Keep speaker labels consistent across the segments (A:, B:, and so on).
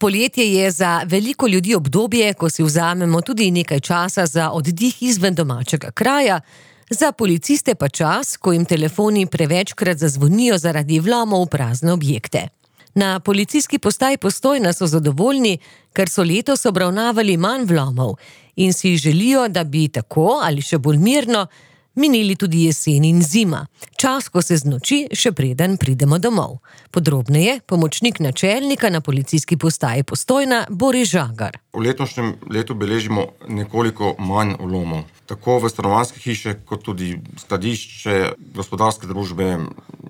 A: Poletje je za veliko ljudi obdobje, ko si vzamemo tudi nekaj časa za oddih izven domačega kraja, za policiste pa čas, ko jim telefoni prevečkrat zazvonijo zaradi vlomov v prazne objekte. Na policijski postaji Postojna so zadovoljni, ker so letos obravnavali manj vlomov in si želijo, da bi tako ali še bolj mirno minili tudi jesen in zima, čas, ko se znoči, še preden pridemo domov. Podrobneje pomočnik načelnika na policijski postaji Postojna Boris Žagar.
B: V letošnjem letu beležimo nekoliko manj vlomov, tako v stanovanjske hiše, kot tudi skladišče, gospodarske družbe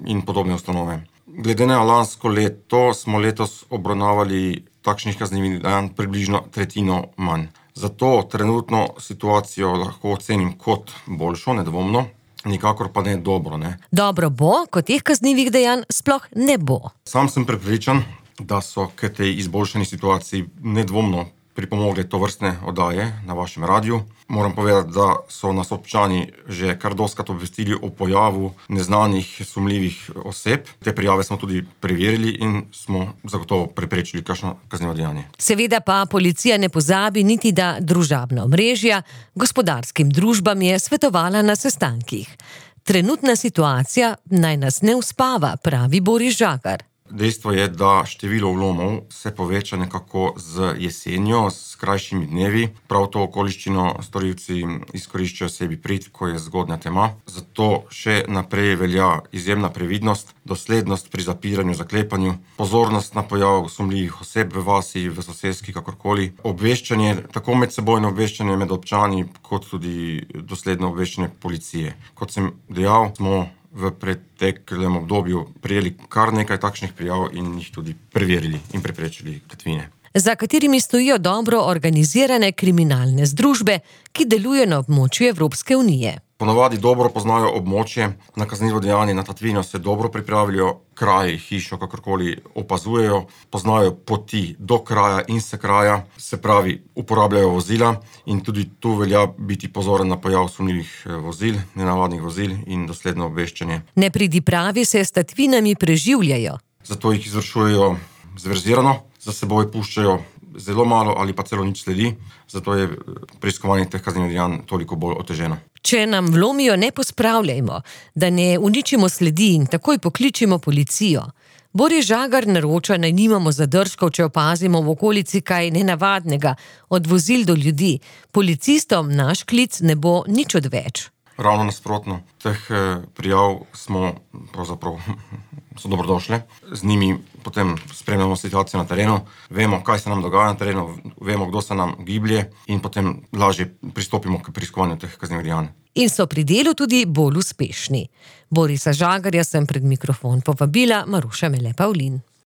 B: in podobne ustanove. Glede na lansko leto smo letos obravnavali takšnih kaznivih dejanj približno tretjino manj. Zato trenutno situacijo lahko ocenim kot boljšo, nedvomno, nikakor pa ne dobro. Ne.
A: Dobro bo, ko teh kaznivih dejanj sploh ne bo.
B: Sam sem prepričan, da so k tej izboljšani situaciji nedvomno pripomogle tovrstne oddaje na vašem radiju. Moram povedati, da so nas občani že kar dostikrat obvestili o pojavu neznanih sumljivih oseb. Te prijave smo tudi preverili in smo zagotovo preprečili kakšno kaznivo dejanje.
A: Seveda pa policija ne pozabi niti, da družabna omrežja gospodarskim družbam je svetovala na sestankih. Trenutna situacija naj nas ne uspava, pravi Boris Žagar.
B: Dejstvo je, da število vlomov se poveča nekako z jesenjo, s krajšimi dnevi. Prav to okoliščino storilci izkoriščajo sebi prid, ko je zgodnja tema. Zato še naprej velja izjemna previdnost, doslednost pri zapiranju, zaklepanju, pozornost na pojav sumljivih oseb v vasi, v soseski, kakorkoli. Obveščanje, tako medsebojno obveščanje med občani, kot tudi dosledno obveščanje policije. Kot sem dejal, smo v preteklem obdobju prijeli kar nekaj takšnih prijav in jih tudi preverili in preprečili tatvine.
A: Za katerimi stojijo dobro organizirane kriminalne združbe, ki delujejo na območju Evropske unije.
B: Ponavadi dobro poznajo območje, na kaznivo dejanje, na tatvino se dobro pripravijo, kraj, hišo, kakorkoli opazujejo, poznajo poti do kraja in se kraja, se pravi, uporabljajo vozila in tudi tu velja biti pozoren na pojav sumljivih vozil, nenavadnih vozil in dosledno obveščanje.
A: Nepridipravi se s tatvinami preživljajo.
B: Zato jih izvršujejo zverzirano, za seboj puščajo zelo malo ali pa celo nič sledi, zato je preiskovanje teh kaznivih dejanj toliko bolj oteženo.
A: Če nam vlomijo, ne pospravljajmo, da ne uničimo sledi in takoj pokličimo policijo. Boris Žagar naroča, naj nimamo zadržkov, če opazimo v okolici kaj nenavadnega, od vozil do ljudi. Policistom naš klic ne bo nič odveč.
B: Ravno nasprotno, teh prijav so dobrodošle. Z njimi potem spremljamo situacijo na terenu, vemo, kaj se nam dogaja na terenu, vemo, kdo se nam giblje in potem lažje pristopimo k preiskovanju teh kaznivih dejanj.
A: In so pri delu tudi bolj uspešni. Borisa Žagarja sem pred mikrofon povabila Maruša Mele Pavlin.